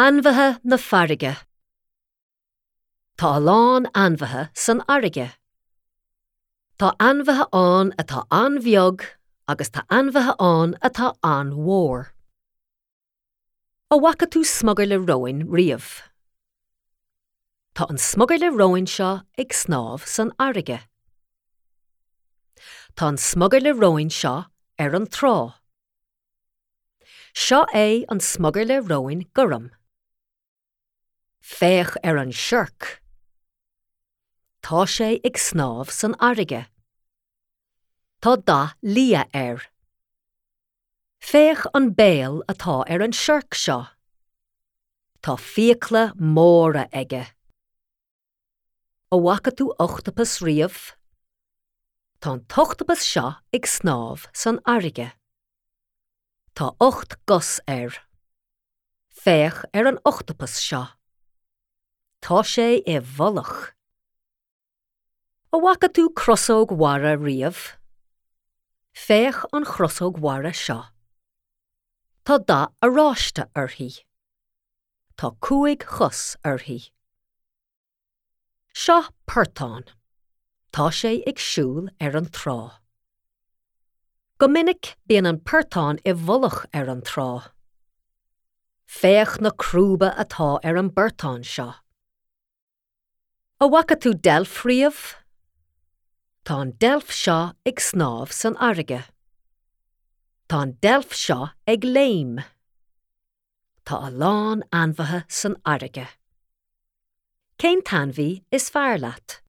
Ainmhithe na farraige. Tá a lán ainmhithe san fharraige. Tá ainmhithe ann atá an-bheag agus tá ainmhithe ann atá an-mhór. An bhfaca tú smugairle róin riamh? Tá an smugairle róin seo ag snámh san fharraige. Tá an smugairle róin seo ar an trá. Seo é an smugairle róin gorm. Féach ar an siorc. Tá sé ag snámh san fharraige. Tá dath liath air. Féach an béal atá ar an siorc seo. Tá fiacla móra aige. An bhfaca tú ochtapas riamh? Tá an t-ochtapas seo ag snámh san fharraige. Tá 8 gcos air. Féach ar an ochtapas seo. Tá sé i bhfolach. An bhfaca tú crosóg mhara riamh? Féach an chrosóg mhara seo. Tá dath oráiste uirthi. Tá 5 chos uirthi. Seo portán. Tá sé ag siúl ar an trá. Go minic bíonn an portán i bhfolach ar an trá. Féach na crúba atá ar an bportán seo. An bhfaca tú deilf riamh? Tá an deilf seo ag snámh san fharraige. Tá an deilf seo ag léim. Tá a lán ainmhithe san fharraige. Cén t-ainmhí is fearr leat?